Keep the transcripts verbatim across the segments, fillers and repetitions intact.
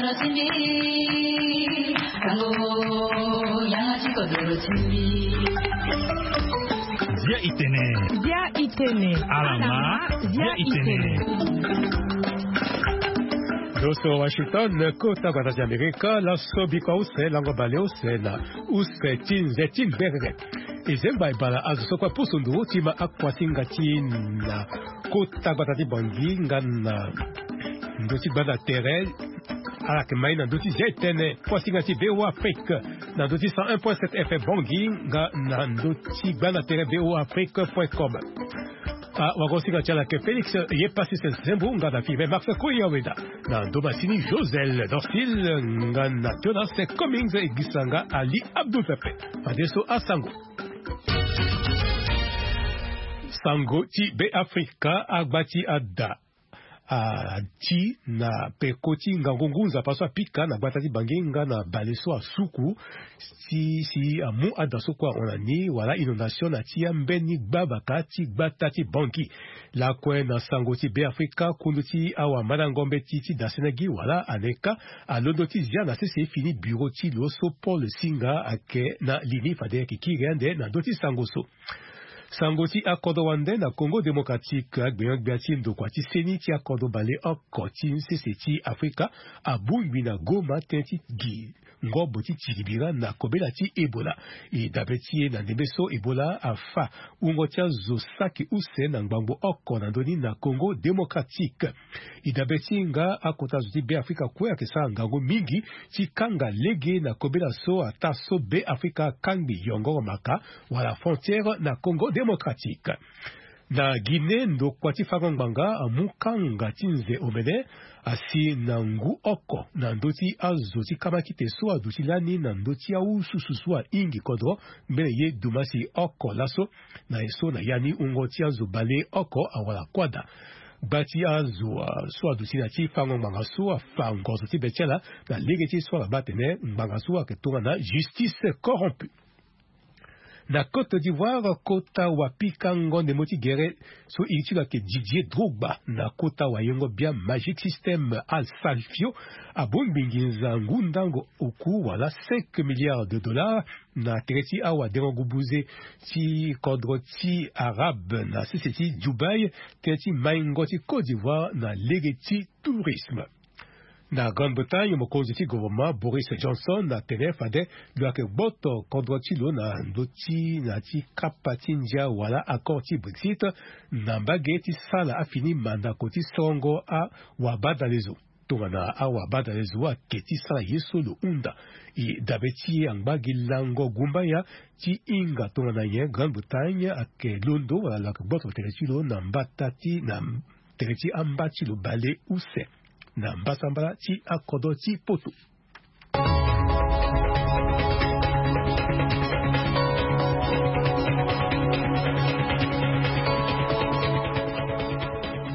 Dia itene. Dia itene. Alama. Dia itene. Doso Washington, kota gbata ti Amerika, laso biko use lango bale use na use ti nze ti ngbere. E zengba e bala azo so kue apusu nduru ti ma akuasinga ti na kota gbata ti Bangi nga na ndö ti gbanda tere. Ala yeke ma ye na ndö ti zia etene kuasinga ti V O A Afrique na ndö ti cent un point sept F M Bangi nga na ndö ti gbanda tere V O A Afrique point com. Awagosinga ti ala yeke Félix Yepassis Nsembo nga na Firmin Max Koyaweda, na ndo masini Josel Dorsil nga na Jonas Cummings, e gisa nga Ali Abdul Pepe. Fadeso asango. Sango ti Be Afrika, agba ti ada ati na peko ti ngangu ngu nzapa so apika na gbata ti Bangi nga na bale so asuku, si si amu ada so kue ahon na ni wala inondation na ti ambeni gbavaka ti gbata ti Bangi. Lakue na sango ti Be Afrika, kundu ti awamandango mbeti ti dasene gi wala aneka alondo ti zia na sese fini biro ti lo so Paul Singa ayeke na li ni. Fade ayeke kiri ande na ndö ti sango so. Sango ti akodro wande na Congo Démocratique, agbenyogbia ti ndokua ti seni ti akodro baleoko ti sese ti Afrika abongbi na Goma tënë ti gi ngobo ti tiribira na kobela ti Ebola. E dabe ti e na ndembe so Ebola afa wungo ti azo saki use na ngbangbo oko na ndö ni na Congo Démocratique. E dabe ti e nga akota zo ti Be Afrika kue ayeke sara ngangu mingi ti kanga lege na kobela so ataa so Be Afrika akangbi yongoro maka wala frontière na Congo Démocratique. Na Guinée, ndokua ti fango ngbanga amu kanga ti nze omene asi na ngu oko na ndö ti azo ti kamakite so aduti lani na ndö ti awususu so ahingi kodro mbeni ye dumasi oko laso. Na ye so na ya ni wungo ti azo baleoko awara kuâ daa. Gba ti azo, ah, so aduti na ti fango ngbanga so afa ngozo ti be ti ala na lege ti so ala baa atene ngbanga so ayeke tongana justice corrompue. Na Côte d'Ivoire, kota wapikango ndembo ti gere so iri ti lo ayeke Didier Drogba na kota wayengo bia Magic System Al Salfio abongbi nginza ngu ndango oku wala cinq milliards de dollars na tere ti awadengo-gubuze ti kodro ti Arabe na sese ti Dubaï, tënë ti maingo ti Côte d'Ivoire na lege ti tourisme. Na Grande-Bretagne, mokonzi ti gouvernement Boris Johnson atene fade lo yeke gboto kodro ti lo na ndö ti na ti kapa ti ndia wala accord ti Brexit na mbage ti sala afini mandako ti sorongo awabadalezo. Tongana awabadalezo ayeke ti sara ye so lo hunda, e dabe ti e angba gi lango gumbaya ti hinga tongana nyen Grande-Bretagne ayeke londo wala lo yeke gboto tere ti lo na mbata ti na tere ti amba ti lo baleuse na mbasambala ti akodro ti poto.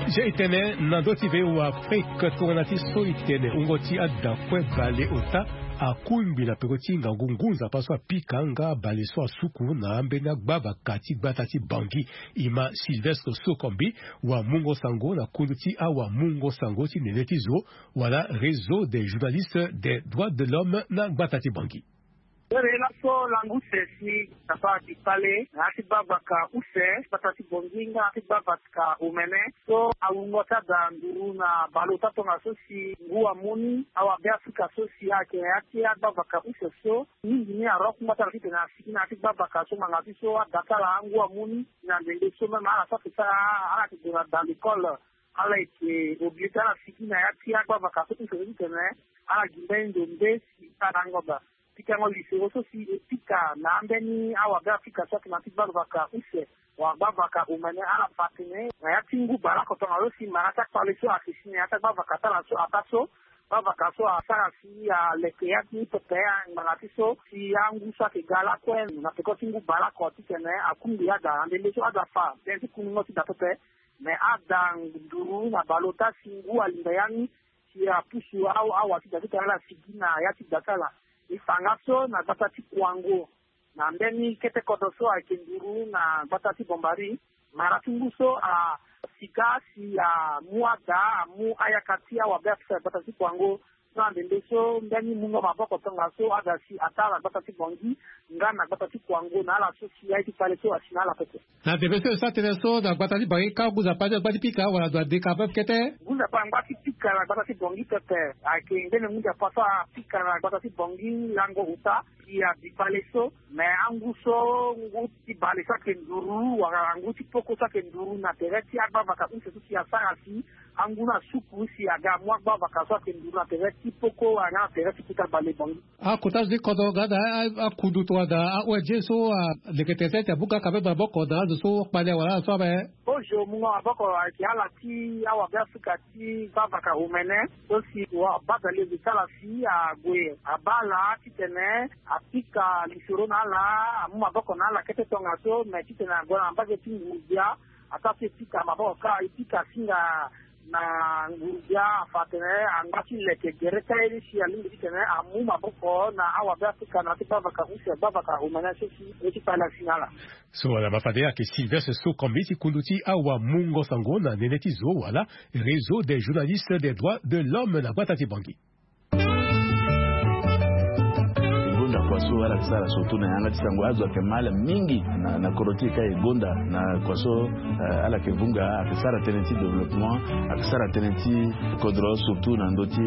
Zia e tene na ndö ti V O A Afrique tongana ti so e tene wungo ti ada kue baleota akungbi na peko ti ngangu ngu nzapa so apika nga bale so asuku na ambeni agbavaka ti gbata ti Bangui. E ma Sylvestre Sokombi, wamungo sango na kundu ti awamungo sango ti nene ti zo wala Réseau des journalistes des droits de l'homme na gbata ti Bangui. Ere laso langu use si tapa ti kpale na ya ti gbavaka use gbata ti Bangui nga ya ti gbavaka omene so awungo ti ada nduru na baleota tongaso si ngu amoni awabeafrika so si ayeke na ya ti agbavaka use so mingi ni aroko ngbata na titene asigi na ya ti gbavaka so ngbanga ti so ada ti ala angu amoni na ndembe so même ala so ayeke sara ala yeke gue na da l'école. Ala yeke obligé ti ala sigi na ya ti agbavaka so ti soro titene ala gi mbeni ndo nde si ala angoba pikango lisoro so si e pika na ambeni awabe afrika so ayeke na ya ti gbavaka use wala gbavaka omene ala fa atene na ya ti ngu baleoko tongaso si mara ti akpale so ayeke si na ya ti agbavaka ti ala so ataa so gbavaka so asara si aleke ya ti pepe ngbanga ti so si angu so ayeke ga lakue na peko ti ngu baleoko titene akungbi ada na ndembe so ada fa tënë ti kungungo ti da pepe. Me ada nduru na baleota si ngu alinda ya ni si apusu awa ti da ti tene ala sigi na ya ti da ti ala. E fa nga so na gbata ti Kouango na mbeni kete kodro so ayeke nduru na gbata ti Bombari. Mara ti ngu so asika si amu ada amu ayaka ti awabe afrika na gbata ti Kouango Ande nde so mbeni mungo maboko tongaso aga si ataa na gbata ti Bangui nga na gbata ti Kouango na ala so si aye ti kpale so asi na ala pepe. Na ndembe so e sara tënë so na gbata ti Bangui ka ngu nzapa ti angba ti pika wala ndo adeka pepe kete. Ngu nzapa angba ti pika na gbata ti Bangui pepe ayeke mbeni ngu nzapa so apika na gbata ti Bangui lango uta si abi kpale so. Me angu so ngu ti bale so ayeke nduru wala ngu ti poko so ayeke nduru na tere ti agbavaka use so si asara si angu ni asuku si aga amu agbavaka so ayeke nduru na tere ti poko wala nga na tere ti kota bale Bangui. Akota zo ti kodro nga na akundu tongana a-O N G so aleke tene ti abuka ka même maboko na azo so kpale wala azo so abe. Kozo mungo maboko ayeke ala ti awabe afrika ti gbavaka omene so si wabadale zo ti ala si ague abaa ala titene apika lisoro na ala amu maboko na ala kete tongaso me titene ague na mbage ti nguru-gbia. Ataa so e pika maboko kâ e pika asinga na nguru-gbia afa atene angba ti leke gere kâ ye ni si alingbi titene amu maboko na awabe afrika na ya ti gbavaka use gbavaka omene so si ye ti kpale asi na ala. So wala mafade ayeke Sylvestre Sokombi ti kundu ti awamungo sango na nene ti zo wala Réseau des journalistes des droits de l'homme na gbata ti Bangui. E gonda kua so ala yeke sara surtout na yanga ti sango azo ayeke mal mingi na kodro ti e ka e gonda na kua so ala yeke vunga ayeke sara tënë ti développement ayeke sara tënë ti kodro surtout na ndö ti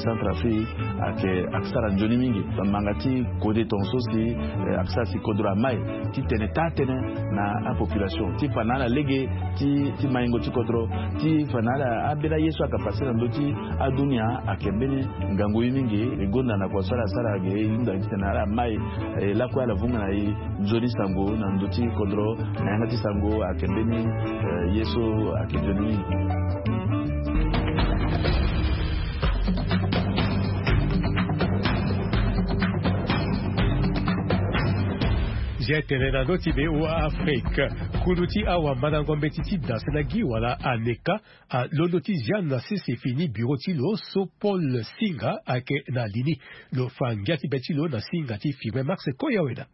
Centrafrique ayeke ayeke sara nzoni mingi. Manga ti kode tongaso si ayeke sara si kodro amai titene taa tënë na apopulation ti fa na ala lege ti maingo ti kodro ti fa na ala ambeni aye so ayeke pase na ndö ti adunia ayeke mbeni ngangu ye mingi. E gonda na kua so ala sara ge e hunda titene ala mai lakue ala vunga na e nzoni sango na ndö ti kodro na yanga ti sango ayeke mbeni ye so ayeke nzoni mingi. Zia tene na ndö ti be wa Afrique. Kundu ti awamandango mbeti ti danse na gi wala aneka alondo ti zia na sese fini bureau ti lo so Paul Singa ayeke na li ni. Lo fa ngia ti be ti lo na singa ti Firmin Max Koyaweda.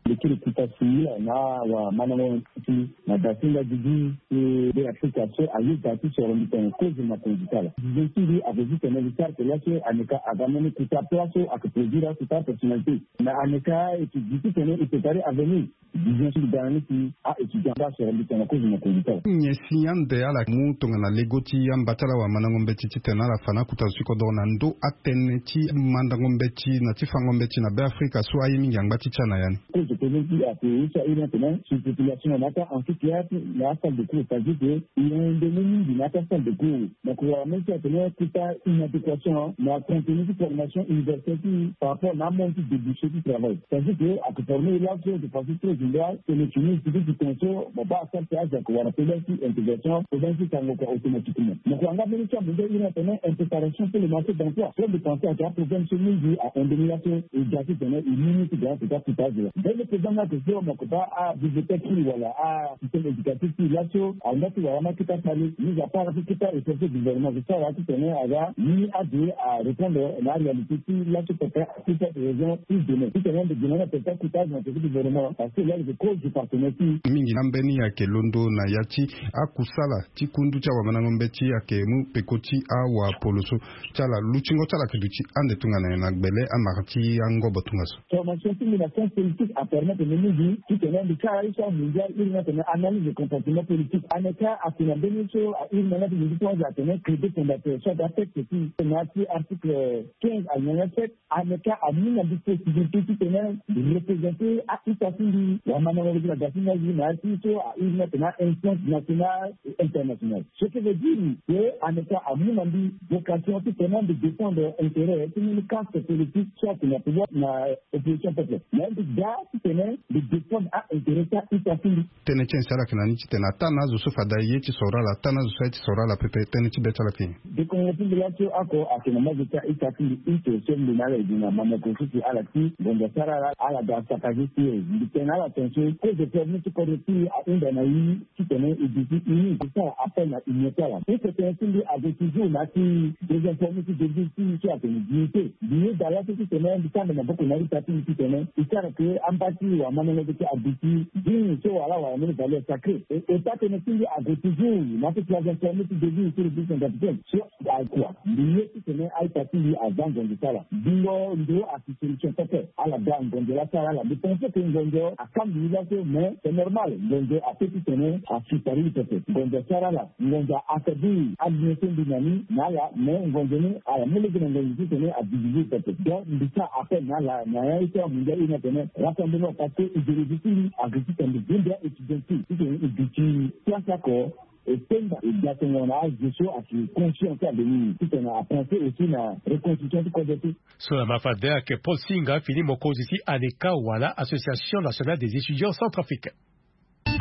Lo kiri kuta si na awamandango mbeti na da ti nga gigi ti be Afrika so aye da ti soro mbi tene kozo na konzi ti ala. Vision ti mbi ape ti tene li sara ke laso aneka aga mbeni kuta pla so ayeke produire akuta personnalité. Mais aneka e ti gi ti tene e prépare avenir. Vision ti mbi ga na ni si a-étudiant baa soro mbi tene kozo na konzi ti ala. Nyen si ande ala mu tongana lego ti amba ti ala wamandango mbeti titene ala fa na akuta zo ti kodoro na ndö atënë ti mandango mbeti na ti fango mbeti na be Afrika so aye mingi angba ti tya na ya ni. Kozo kozo ti ape ye so airi atene surpopulation na ata ensuite ya ti na asalle de cours, c'est-à-dire que e hon nde mu mingi na ata salle de cours. Donc wala même si atene kuta inadéquation na contenu ti formation universelle ti par rapport na amonde ti débouché ti travail. C'est-à-dire que ayeke former e laso de façon très générale, tene tene ti ti tene so mo baa asara ti azo ayeke wara problème ti intégration, problème ti sango kua automatiquement. Mo kua nga mbeni ti amondial iri atene impréparation pour le marché d'emploi. Plein de pensée ayeke aproblème so mingi ahon mbeni laso e ga titene e mu ni ti ga na kota kuta azo. Mbeni président ni ayeke so mo yeke baa abibliothèque ti e wala asystème éducatif ti e laso ahunda ti wara ni akita kpale. Mis à part ti kita recherche gouvernement so sara titene aga ni ade arépondre na aréalité ti laso pepe. Ti fait raison ti demain ti tene ande demain na tene ti akuta azo na tene ti gouvernement parce que laa lo yeke cause du partenaire ti. Mingi na mbeni ayeke londo na ya ti akusala ti kundu ti awamandango mbeti ayeke mu peko ti awapoloso ti ala. Lutingo ti ala ayeke duti ande tongana nyen na gbele amara ti angobo tongaso? Formation ti mbi na science politique apermettre mbi mingi titene mbi sara ye so amondial iri ni atene analyse de comportement politique. Aneka ake na mbeni so airi na nga ti mbi ti tongaso atene crédit fondateur so ake atexte ti na ya ti article quinze alinéa sept. Aneka amu na mbi possibilité titene mbi représenter a-ita ti mbi wamandango mbi ti na da ti ngangu na ya ti so airi ni atene a-instance nationale et internationale. Ce qui veut dire que aneka amu na mbi vocation titene mbi défendre intérêt ti mbeni caste politique so ayeke na pouvoir na opposition peuple. Mais mbi ga titene mbi défendre a-intérêt ti a-ita ti mbi. Tënë ti nyen si ala yeke na ni titene ataa na azo so fade aye ti soro ala ataa na azo so aye ti soro ala pepe tënë ti be ti ala ayeke nyen? Dekongo ti mbi laso oko ayeke na mazo ti a-ita ti mbi ute so mbi na ala e gi na mamoko so si ala ti ngonda sara ala ala ga sakazi ti e. Mbi tene na ala tongaso kozo ti avenir ti kodro ti e ahunda na e. Titene e duti uni ti sara appel na union ti ala. Ti tene ti mbi ague toujours na ya ti désinformer ti devise ti e so ayeke na dignité. Mbi yeda laso titene mbi sara mbi maboko na a-ita ti mbi titene e sara ke amba. Ti wamamene ti aduti, digne so wala wala mene valeur sacré. E ota tënë ti mbi ague toujours na ti place d'informer ti devise sur le bus en capitaine so akua mbi ye titene aita ti mbi aza ngonzo ti ala. Bingo ndo asi solution pepe. Ala ga ngonzo la ti ala ala mbi pense que ngonzo akangbi ye laso mais c'est normal. Ngonzo ape titene asi pari ye pepe. Ngonzo ti ala ala ngonzo a affaiblir alliance ti mbi na ni na ala mais ngonzo ni ala mu lege na ngonzo titene adiviser pepe. Donc mbi sara appel na ala na ya ye ti amondial iri ni atene rassemblement parce que idéologie ti mbi agri titene mbi vundia étudiant ti titene e duti place oko. E tenga e ga tongo na azo so asi conscient ti abeni titene apenser aussi na reconstruction ti kodro ti. So na ma fade ayeke Paul Singa fini mokonzi ti ANECA wala Association Nationale des Étudiants Centrafricains.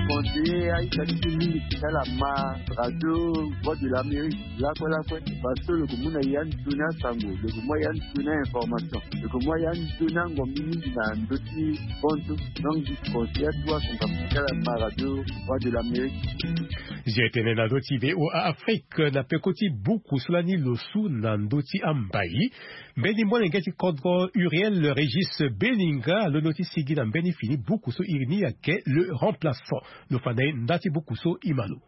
Conseiller aita ti mbi mingi ti tala ma radio Voix de l'Amérique lakue lakue. Parce que lo yeke mu na ya ndoni asango, lo yeke mu ya ndoni a-information, lo yeke mu ya ndoni angombi mingi na ndö ti bonzo. Donc mbi conseiller atuwa asango ti tala ma radio Voix de l'Amérique. Zia tene na ndö ti VOA Afrique na peko ti buku so lani lo su na ndö ti ambai. Mbeni molenge ti kodro Uriel Régis Beninga alondo ti sigi na mbeni fini buku so iri ni ayeke Le Remplaçant. Lo fa na e nda ti buku so e ma lo.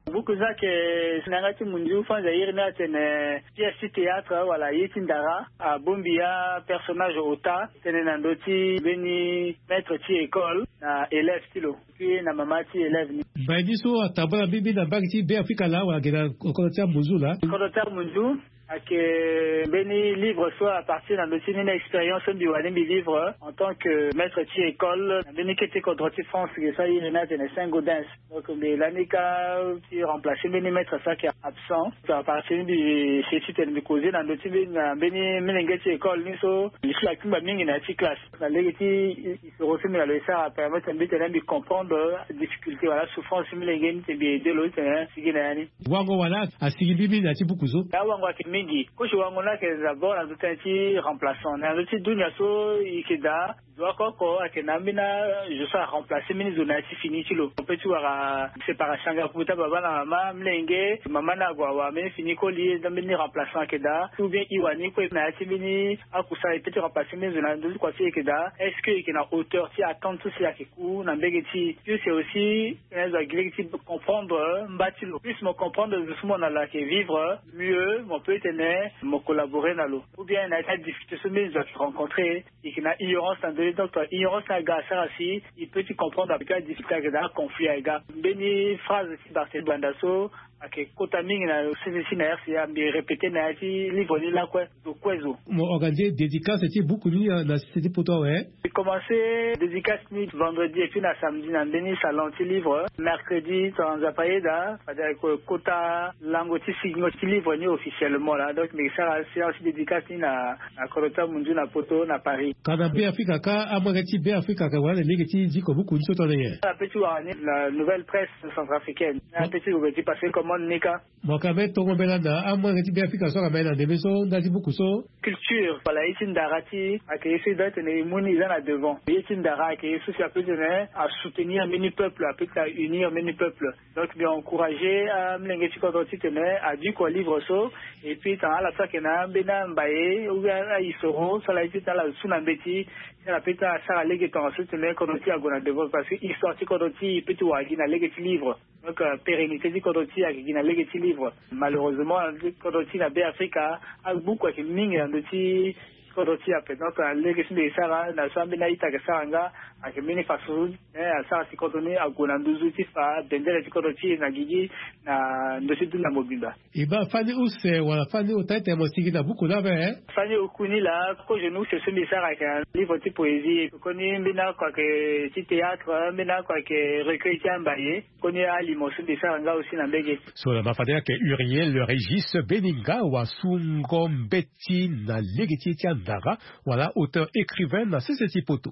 Buku so ayeke na yanga ti munzu fanza iri ni atene pièce ti théâtre wala ye ti ndara abongbi apersonnage ota tënë na ndö ti mbeni maître ti école na élève ti lo. Puis na mama ti élève ni. Mbai ni so atambula mbimbi na mbage ti Beafrika laa wala ge na kodro ti amunzu laa? Kodro ti amunzu. Ayeke mbeni livre so apartir na ndö ti mbeni expérience so mbi wani mbi vivre en tant que maître ti école na mbeni kete kodro ti France ge so airi ni atene Saint-Gaudens. Donc mbi lani ka ti remplacer mbeni maître so ayeke absent. Apartir ni mbi ese titene mbi causer na ndö ti mbeni na mbeni molenge ti école ni so mbi si akungba mingi na ya ti classe. Na lege ti histoire so mbi na lo e sara permettre mbi tene mbi comprendre difficulté wala souffrance ti molenge ni titene mbi aider lo titene asigi na ya ni. Wango wala asigi mbi mingi na ya ti buku so? Ya wango ayeke mingi. Kosi wango ni ayeke d'abord na ndö tënë ti remplaçant na ndö ti dunia so e yeke daa. Zo oko oko ayeke na ambeni azo so aremplacer mbeni zo na ya ti fini ti lo. Ape ti wara séparation nga kue ti ababa na mama molenge mama ni ague awara mbeni fini koli. Mbeni remplaçant ayeke daa ou bien e wani kue na ya ti mbeni akusa e peut ti remplacer mbeni zo na ndö ti kua ti e yeke daa. Est-ce que e yeke na hauteur ti attente so si ayeke ku na mbege ti e? Puis c'est aussi tene zo agi lege ti comprendre mba ti lo. Plus mo comprendre zo so mo na lo ayeke vivre, mieux mo peut tene mo collaborer na lo. Ou bien na ya ti adifficulté so mbeni zo ayeke rencontrer, e yeke na ignorance na ndö ni. Donc ignorance ni aga asara si e peut ti comprendre ape ti adifficulté ayeke daa, conflit ayeke ga. Mbeni phrase ti Barthélemy Banda so ayeke kota mingi na sese ti na R C A, mbi répéter na ya ti livre ni lakue. Zo kue zo. Mo organiser dédicace ti buku ni na sese ti poto awe? Mbi commencer dédicace ni vendredi et puis na samedi na mbeni salon ti livre. Mercredi tongana Nzapa ayeda fade ayeke kota lango ti sigingo ti livre ni officiellement laa. Donc mbi yeke sara séance ti dédicace ni na na kodro ti amunzu na poto na Paris. Ka na Beafrika ka, amolenge ti Beafrika ayeke wara na lege ti ziko buku ni so tongana nyen? Ape ti wara ni la Nouvelle Presse centrafricaine. Ape ti gue ti passer commande ni ka. Mo yeke ambeni tongo mbela na amolenge ti Beafrika so ayeke ambeni na ndembe so nda ti buku so? Culture wala ye ti ndara ti e ayeke ye so e doit tene e mu ni e za na devant. Ye ti ndara ayeke ye so si ape tene asoutenir mbeni peuple, ape tene aunir mbeni peuple. Donc mbi encourager amolenge ti kodro titene adiko livre so. Et puis tongana ala so ayeke na ambeni ambaye ou bien aisoro so ala ye titene ala su na mbeti, si ala peut ti asara lege tongaso titene kodro ti e ague na devant parce que histoire ti kodro ti e e peut ti wara gi na lege ti livre. Donc pérennité ti kodro ti e ayeke gi na lege ti livre. Malheureusement kodro ti e na Beafrika abuku ayeke mingi na ndö ti kodro ti e ape. Donc lege so mbi yeke sara na so ambeni a-ita ayeke sara nga ayeke mbeni façon so asara si kodro ni ague na nduzu ti fa bendele ti kodro ti e na gigi na ndö ti dunia mobimba. E baa fani use wala fani ota ti tene mo sigi na buku ni ape? Fani oku ni laa kozo ni use so mbi sara ayeke na livre ti poésie, koni mbeni oko ayeke ti théâtre, mbeni oko ayeke recueil ti ambaye. Koni alimo so mbi sara nga aussi na mbege. So na ma fade ayeke Uriel Régis Beninga wasungo mbeti na lege ti ye ti andara wala auteur écrivain na sese ti poto.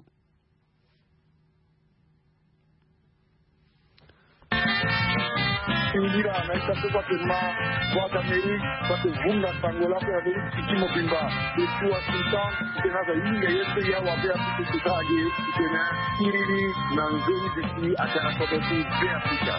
Singila na ita so kua ti ma Voix d'Amérique kua ti vunga sango lakue na ndö ti ti mobimba. Depuis Washington, titene aza hinga ye so ya wa Beafrika ti tara ge titene iri ni na nzoni bisi atene kodro ti Beafrika.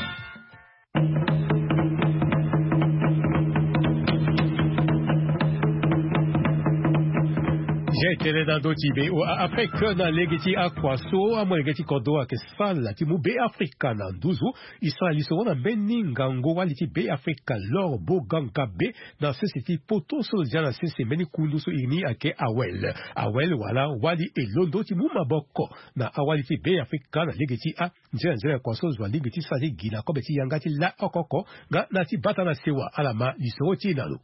Zia etene na ndö ti be o a afrique na lege ti akua so amolenge ti kodro ayeke sala ti mu be afrika na nduzu. E sara lisoro na mbeni ngangu wali ti be afrika lor boganga be na sese ti poto so lo zia na sese mbeni kundu so iri ni ayeke awel awel wala wali elondo ti mu maboko na awali ti be afrika na lege ti a nzela nzela ya kua so zo alingbi ti sara ti gi na kobe ti yanga ti la oko oko. Nga na ti bata na sewa ala ma lisoro ti e na lo.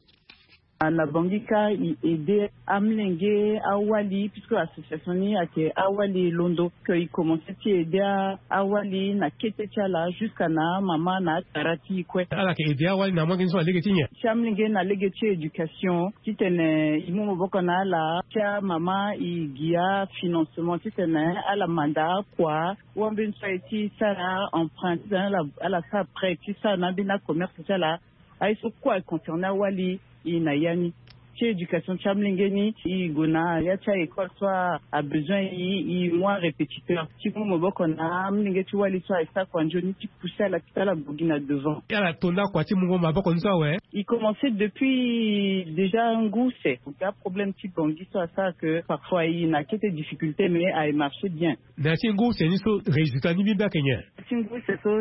Na bangi ka e aide amlenge awali puisque association ni ayeke awali londo ke e commence ti aide awali na kete ti ala jusqu'à na amama na akara ti e kue. Ala yeke aide awali na amolenge so na lege ti nyen? Ti amlenge na lege ti éducation titene e mu maboko na ala ti amama e gi afinancement titene ala manda akua. Wambeni so aye ti sara emprunt titene ala sara prêt ti sara na ambeni acommerce ti ala. Aye so kue aye concerne awali e na ya ni ti éducation ti amlenge ni e go na ya ti a école so abesoin e e mu arépétiteur ti mu maboko na amlenge ti wali so aye sara kua nzoni ti pousser ala ti ala go gi na devant. Ala tonda kua ti mungo maboko ni so awe. E commence depuis déjà ngu se. Problème ti bangi so asara ke parfois e na kete difficulté mais aye marche bien. Na ya ti ngu se ni so résultat ni mbi mbi ayeke nyen? Ti ngu se so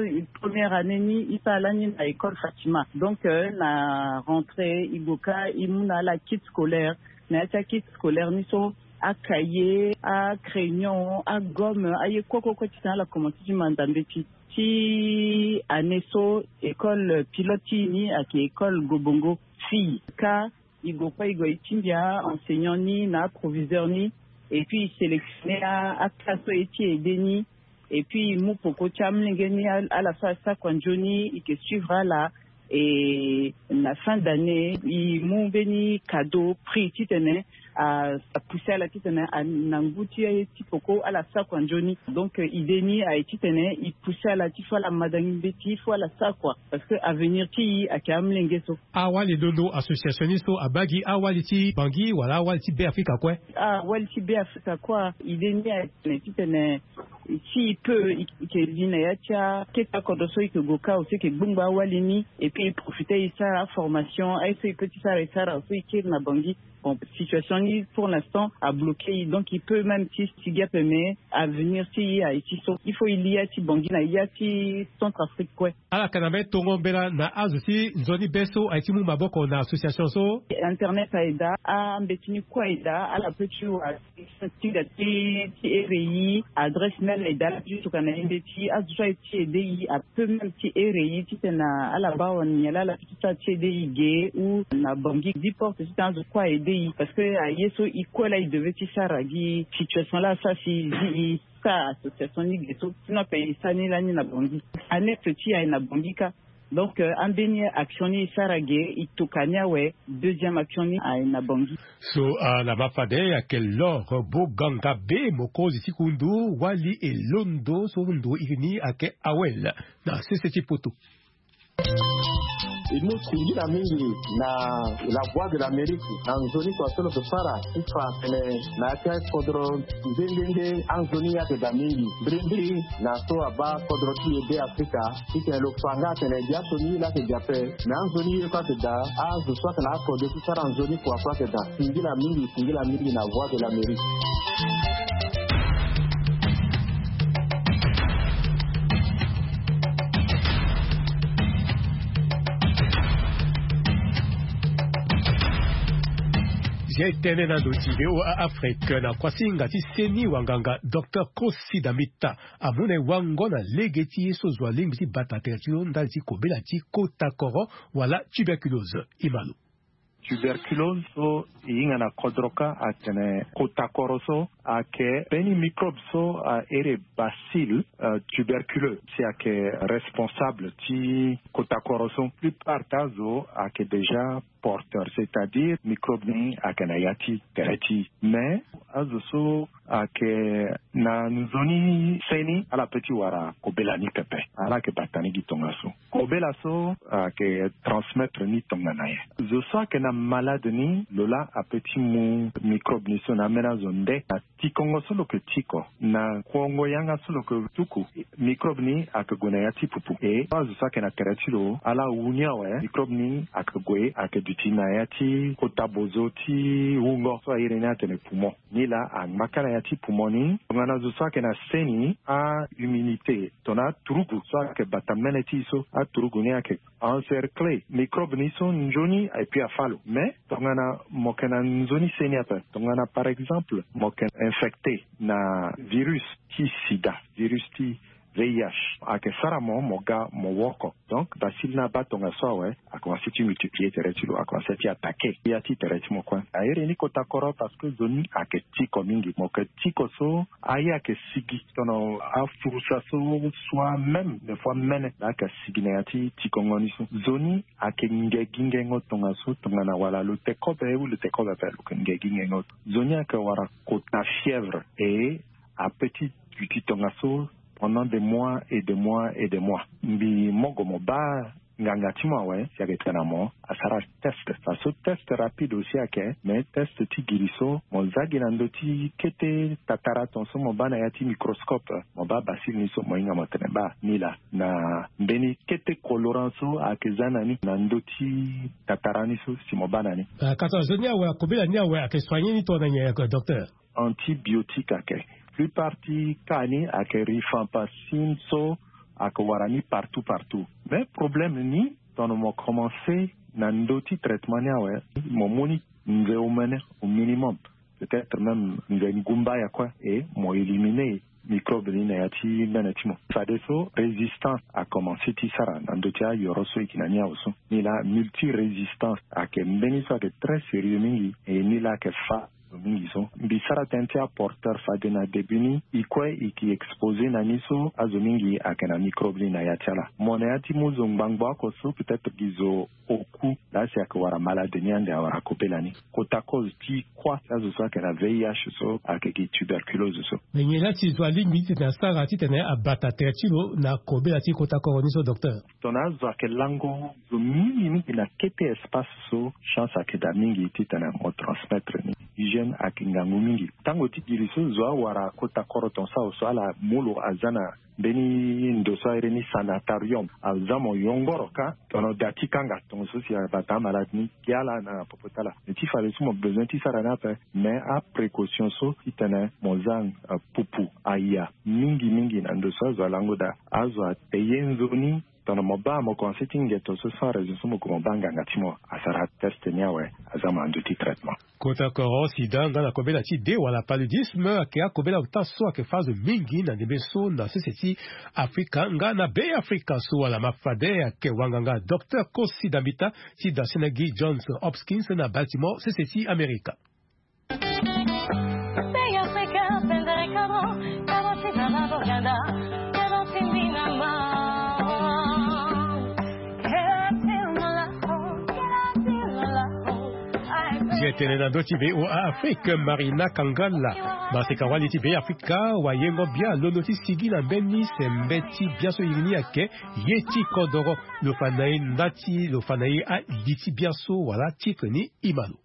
première année ni e sara lani na école fatima donc na rentrée e go ka e mu na ala kit scolaire. Na ya ti akit scolaire ni so acahier acrayon agomme aye kue kue kue titene ala commence ti manda mbeti. Ti année so école pilote ti e ni ayeke école gobongo fille ka e go kue e go e tingbi a enseignant ni na aproviseur ni. Et puis e sélectionner aclasse so e ti aide ni. Et puis e mu poko ti amlenge ni ala so asara kua nzoni e ke suivre ala. Et na fin d'année e mu mbeni cadeau prix titene apousser ala titene na ngu ti ti poko ala sara kua nzoni. Donc idée ni aye titene e pousser ala ti fo ala madangi mbeti fo ala sara kua parce que avenir ti e ayeke amlenge so. Awali dondo association ni so abaa gi awali ti bangi wala awali ti be afrika kue? Awali ti be afrika kue. Idée ni aye titene titene si e peut e ke li na ya ti akete akodro so e ke go ka aussi e ke gbongbo awali ni. Et puis e profite e sara aformation aye so e peut ti sara e sara so e kiri na bangi. Bon situation ni pour l'instant abloquer e donc e peut même ti sigi ape mais avenir ti e aye ti so il faut e li ya ti bangi na ya ti centre afrique kue. Ala yeke na mbeni tongo mbela na azo ti nzoni be so aye ti mu maboko na association so. Internet aye daa ambeti ni kue aye daa ala peut ti wara ti ti ti ere e adresse mail aye daa ala peut ti tokua na e mbeti azo so aye ti aide e apeut même ti ere e titene ala baa wani nyen laa ala peut ti sara ti aide e ge ou na bangi dix porte titene azo kue aide e parce que aye so e kue laa e devait ti sara gi situation laa asara si e zi e sara association ni ge so sinon ape e sara ni lani na bangi. Annexe ti e aye na bangi kâ. Donc ambeni action ni e sara ge e toka ni awe. Deuxième action ni aye na bangi. So ala ma fade ayeke lor boganga be mokonzi ti kundu wali elondo so ndo iri ni ayeke awel na sese ti poto. E mu singila mingi na la voix de l'amérique na nzoni kua so lo ke sara ti fa tene na ya ti akodro nde nde nde anzoni ayeke daa mingi mbirimbiri na so abaa kodro ti e be afrika. Titene lo fa nga atene biaso ni ye laa ayeke gi ape. Mais anzoni ye kue ayeke daa azo so ayeke na akode ti sara nzoni kua kue ayeke daa. Singila mingi singila mingi na voix de l'amérique. Zia e tene na ndo ti voa afrique na kuasinga ti seni wanganga docteur kosi damita amu na e wango na lege ti ye so zo alingbi ti bata tere ti lo ndali ti kobela ti kota koro wala tuberculose. E ma lo. Tuberculose so e hinga na kodro kâ atene kota koro so ayeke mbeni microbe so a iri bacille tuberculeux si ayeke responsable ti kota koro so. Plupart ti azo ayeke déjà porteur c'est à dire microbe ni ayeke na ya ti tere ti e mais azo so ayeke na nzoni se ni ala peut ti wara kobela ni pepe. Ala yeke bata ni gi tongaso kobela so ayeke transmettre ni tongana nyen? Zo so ayeke na malade ni lo laa apeut ti mu microbe ni so na ambeni azo nde na tikongo so lo yeke tiko na kuongo yanga so lo yeke tuku microbe ni ayeke gue na ya ti pupu e azo so ayeke na tere ti lo ala wu ni awe microbe ni ayeke gue ayeke Duti na ya ti kota bozo ti wungo so a iri ni atene poumon. Nilaa angba kâ na ya ti poumon ni. Tongana zo so ayeke na seni, ahumidité, tongana aturugu so ayeke bata mene ti e so, aturugu ni ayeke encerclé microbe ni so nzoni, et puis afâ lo. Mais tongana mo yeke na nzoni seni ape, tongana par exemple mo yeke infecté na virus ti sida, virus ti V I H, ayeke sara mo mo ga mo woko. Donc bacille ni abaa tongaso awe, akomanse ti multiplier tere ti lo, akomanse ti attaqué ya ti tere ti mo kue. A iri ni kota koro parce que zo ni ayeke tiko mingi. Mo yeke tiko so aye ayeke sigi, tongana afurusa so, soit même des fois mene, laa ayeke sigi na ya ti tikongo ni so. Zo ni ayeke nge gi ngengo tongaso, tongana wala lo te kobe ou lo te kobe ape, lo yeke nge gi ngengo. Zo ni ayeke wara kota fièvre et apeti duti tongaso pendant des mois et des mois et des mois. Mbi mogo mo baa nganga ti mo awe, si ayeke tene na mo, asara test. Parce que test rapide aussi ayeke, mais test ti giri so mo za gi na ndö ti kete tatara ton so mo baa na ya ti microscope, mo baa bacille ni so, mo hinga mo tene baa nilaa na mbeni kete colorant so ayeke za na ni na ndö ti tatara ni so si mo baa na ni. Ah, ka so zo ni awe, akobela ni awe ayeke soigné ni tongana nyen, docteur? Antibiotique ayeke. Plupart ti cas ni ayeke rifampicine so ayeke wara ni partout partout. Mais problème ni, tongana mo commencé na ndö ti traitement ni awe, mo mu ni nze omene au minimum, peut-être même nze ngumba ya kue, et mo éliminé microbe ni na ya ti mene ti mo. Fadeso résistance akomanse ti sara na ndö ti ayoro so e yeke na ni awe so. Nilaa multirésistance ayeke mbeni so ayeke très sérieux mingi, et nilaa ayeke fâ zo mingi so. Mbi sara tënë ti aporteur fade na début ni, e kue e yeke exposé na ni so azo mingi ayeke na microbe ni na ya ti ala. Mo na ya ti mu zo ngbangbo oko so peut-être gi zo oku, laa si ayeke wara malade ni ande awara kobela ni. Kota cause ti kuâ ti azo so ayeke na V I H so ayeke gi tuberculose so. Me nyen laa ti zo alingbi titene asara titene abata tere ti lo na kobela ti kota koro ni so, docteur? Tongana azo ayeke lango zo mingi mingi na kete espace so, chance ayeke daa mingi titene mo transmettre ni. Hygiène ayeke ngangu mingi. Tango ti giri so zo awara kota koro ton so awe so, ala mu lo aza na mbeni ndo so a iri ni sanatorium, aza mo yongoro kâ tongana da ti kanga tongaso si abata amalade ni, gi ala na popo ti ala. Me ti fade so mo besoin ti sara ni ape, mais aprécaution so titene mo za, euh, pupu aya mingi mingi na ndo so azo alango daa. Azo ate ye nzoni, tongana mo baa mo komanse ti ngeto so sans raison so mo gue mo baa nganga ti mo asara test ni awe, aza mo na ndö ti traitement. Kota koro, sida nga na kobela ti de wala paludisme ayeke akobela ota so ayeke fâ azo mingi na ndembe so na sese ti Afrika nga na Be Afrika so wala mafade. Ayeke wanganga docteur Kosi Dambita ti dasena gi Johns Hopkins na Baltimore, sese ti Amerika. Ye tene na ndö ti V O A Afrique, Marina Kangala, maseka wali ti Be Afrika, wayengo bia londo ti sigi na mbeni sembe ti biaso iri ni ayeke ye ti kodoro. Lo fa na e nda ti, lo fa na e ali ti biaso wala titre ni, e ma lo.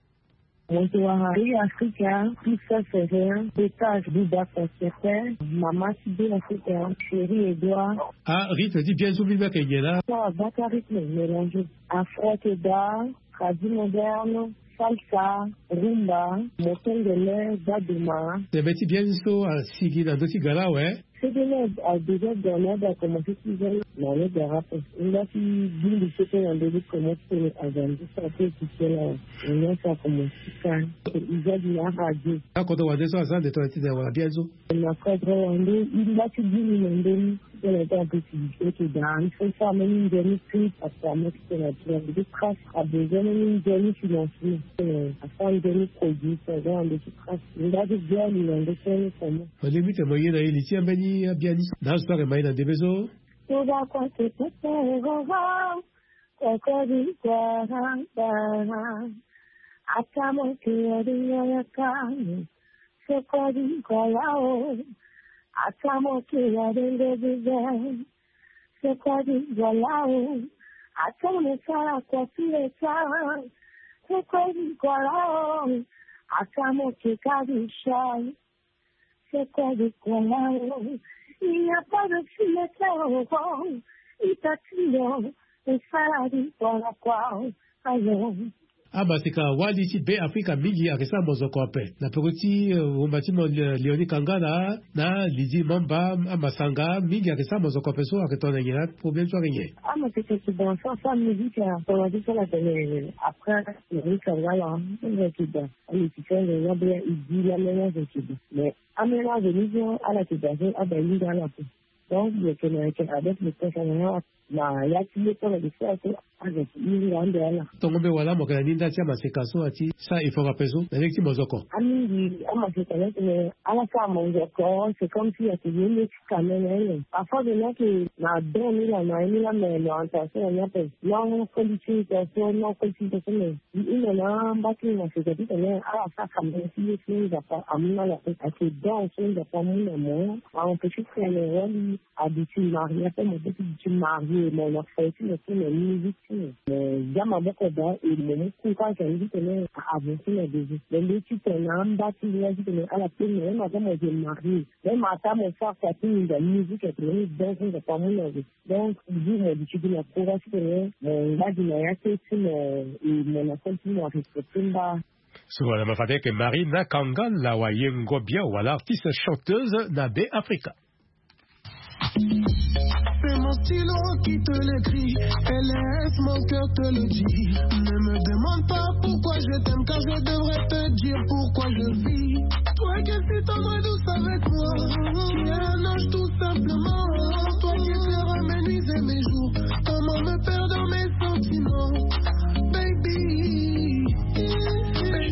Moto wara Be Afrika, Pisa Ferrer, Beta Buba Concertin, mama ti Be Afrika, Chérie Edouard. Ah, rythme ti biaso so mbi mbi ayeke nyen laa? So abaka rythme mélangé. Afro keda, tradi moderne, salsa, rumba, motengele, baduma. Sembe ti biaso asigi na ndö ti gala awe. Sede ni a déjà gana da commencé ti za na le garape. Nda ti bulu sete na ndö ti commencé tene azandu sa pe ti sela. Nya sa commencé kan. Iza di na radio. Akoto wande so aza nde to ti de wala biaso. Na cadre wande, i nda ti bulu na ndö ni. Tene ta pe ti di sete da. Il faut ça même une dernière clip parce que a mot tene a ti na ndö ti trace. A besoin même une dernière financement. Tene a fa une dernière produit, ça va en ndö ti trace. Nda ti biani na ndö ti ni comment. Mo lingbi tene mo ye na e li ti ambeni abiani so na azo so ayeke ma e na ndembe so. Toba kua te kete roro, kokori kua randa. Atamo ke aringo ya kani, sokori kua lao. Atamo ke aringo bibe, sokori kua lao. Atamo sara kua pire sa, sokori kua lao. Atamo ke kari shai. C'est quoi de quoi là? Il n'y a pas de fille qui a encore. Il t'a dit non. Et ça la vie, voilà quoi. Alors. Amaseka wali ti Be Afrika mingi ayeke sara mozoko ape. Na peko ti, eh, wumba ti mo, eh, Léonie Kangala na Lydie Mamba, amasanga mingi ayeke sara mozoko ape so ayeke tongana nyen na problème so ayeke nyen? Amaseka ti danse, asara musique, atongana ti so ala tene après Léonie Kangala, aza ti danse. Amusicien, aza bien, il dit la même chose. Mais amena veni so ala ti danse, aba hinga ala ape. Donc, yeke na yeke avec le président na ya ti ye tongana ti so azo ti hinga ande ala. Tongo mbe wala mo yeke na ni nda ti amaseka so ati sara effort ape so na lege ti mozoko. Amingi amaseka ni atene ala sara mozoko, c'est comme si ati ye nde ti kamene. Parfois de là que na don ni la na ye ni la, mais l'orientation na ni ape. Non, qualification, non, qualification, mais i hunda na mba ti maseka titene ala sara kamene ti ye ti Nzapa amu na ala ape. Ake don so Nzapa amu na mo, a empêche titene wali a duti marié, ape mo peut ti duti marié, mo na fo ti mo ti mo musique ti mo. Mo za maboko daa, e mo mu courage na ni titene a avancer na devant. Mo mbi titene na amba ti ngbonga titene ala kpe mo, même aza mo je marié, même ataa mo sara kua ti nginza musique, ake mo ni don so Nzapa amu na mo. Donc toujours mo duti gi na courage titene mo ngba gi na ya ti e ti mo, e mo na fo ti mo a respecter mba. So wala ma fade yeke Marina Kangala, wayengo bien wala artiste chanteuse na Be Afrika. C'est mon stylo qui te l'écrit et laisse mon cœur te le dire. Ne me demande pas pourquoi je t'aime, car je devrais te dire pourquoi je vis. Toi qui es si tendre et douce avec moi, qui est un ange tout simplement. Toi qui fais ramenuiser mes jours, comment me perdre dans mes sentiments, baby.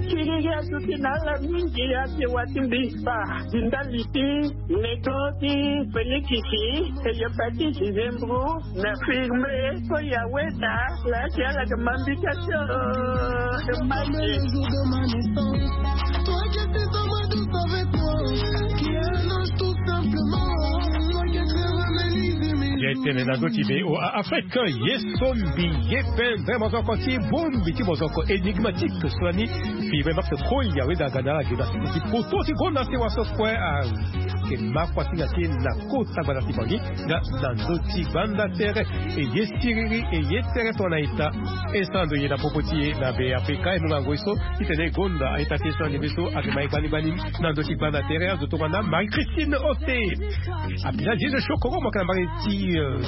Kiri ya suki na ala mingi ya ti wati mbi pa. Di ndali ti nego ti Félix ti, e yamba ti Dizembro na firme so ya weda la ti ala ke mambi ka ti, euh, de magie. Toi qui es si tendre et douce avec moi, qui est un ange tout simplement. Toi qui es très ramenuiser mes jours. Ye tene na ndö ti V O A Afrique, ye so mbi ye pendre mozoko ti bongbi ti mozoko énigmatique so lani. Firme Max Koya weda ga na ala ge na ti poto ti gonda sewa so kue ayeke ma kua ti na ti e na kota gbanda ti Bangui nga na ndö ti gbanda tere. E ye siriri, e ye tere tongana ita. E sara ndo ye na popo ti e na Be Afrika, e mu ngangu e so titene e gonda a-ita ti e so ande be so ayeke ma e gbani gbani na ndö ti gbanda tere. Azo tongana Marie Christine Ote. Abina Jésus Chokoro mo yeke na mbage ti, euh,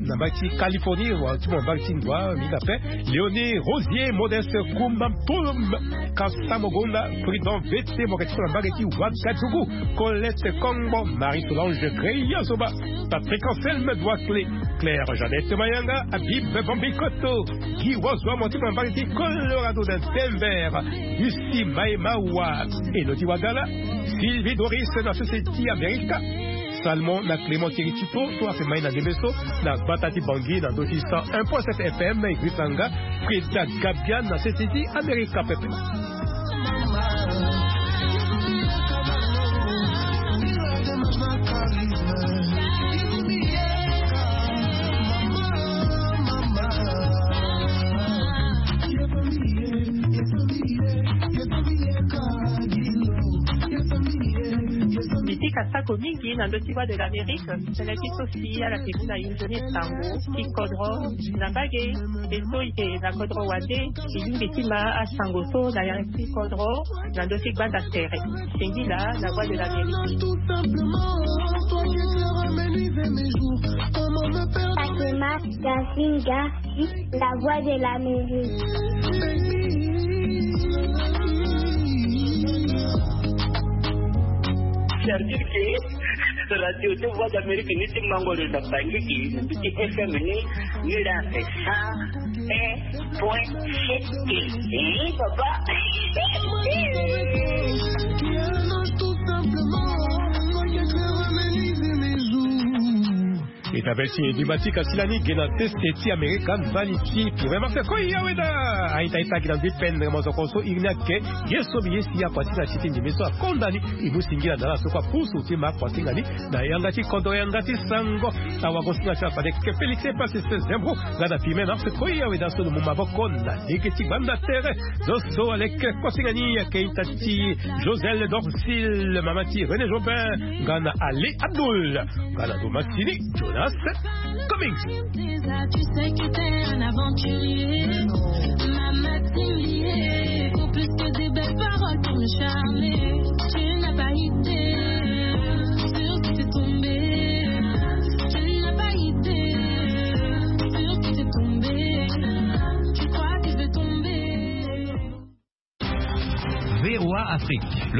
na mbage ti Californie, wala ti mo na mbage ti Ndwa mingi ape. Léonie Rosier, Modeste Kumba Mpolom, Kasa Mogonda, Prudent Vete, mo yeke ti so na mbage ti Ouagadougou, Colette Kongbo, Marie Solange Greya Zoba, Patrick Anselme Douaclé, Claire Jeannette Mayanga, Habib Bambikoto, Guy Wozwa, mo ti mo na mbage ti Colorado na Denver, Lucie Maemawa, Elodie Wagala, Sylvie Doris na sese ti Amerika, Salmon na Clément Kiritipo so ayeke ma e na ndembe so na gbata ti Bangui na ndö ti cent un point sept F M. E grisanga Frida Gabian na sese ti Amerika pepe. Mbi ti ka sako mingi na ndö ti Voix de l'Amérique, tënë ti so si ala ke mu na inzoni sango ti kodro na mbage. E so e yeke na kodro wande, e lingbi ti ma asango so na yanga ti kodro na ndö ti gbanda tere. Singila na Voix de l'Amérique. Fatima Gazinga, la Voix de l'Amérique. C'est-à-dire que radio ti Voix d'Amérique ni ti mango lo na Bangui, ni ti F M ni, ni la fait ça. Un point sept. Eh, papa. E tabel ti énigmatique asila ni ge na teste ti Amerika, mbali ti Pire Marse Koya Weda. A-ita, a-ita gi na mbi pendre mozoko so iri ni ayeke ye so mbi ye si akua ti na ti ti ndembe so akonda ni. E mu singila na ala so kue apusu ti ma akua ti nga ni na yanga ti kodro, yanga ti sango. Awagosinga ti ala fade yeke Félix Epasis Zembro nga na Pire Marse Koya Weda so lo mu maboko na lege ti gbanda tere. Zo so aleke kosinga ni ayeke ita ti Joselle Dorcile, mama ti René Jobin nga na Ali Abdoul nga na Thomas Sini Jonas. Coming. Déjà, tu sais que t'es un aventurier. Ma matinée, faut plus que des belles paroles pour me charmer.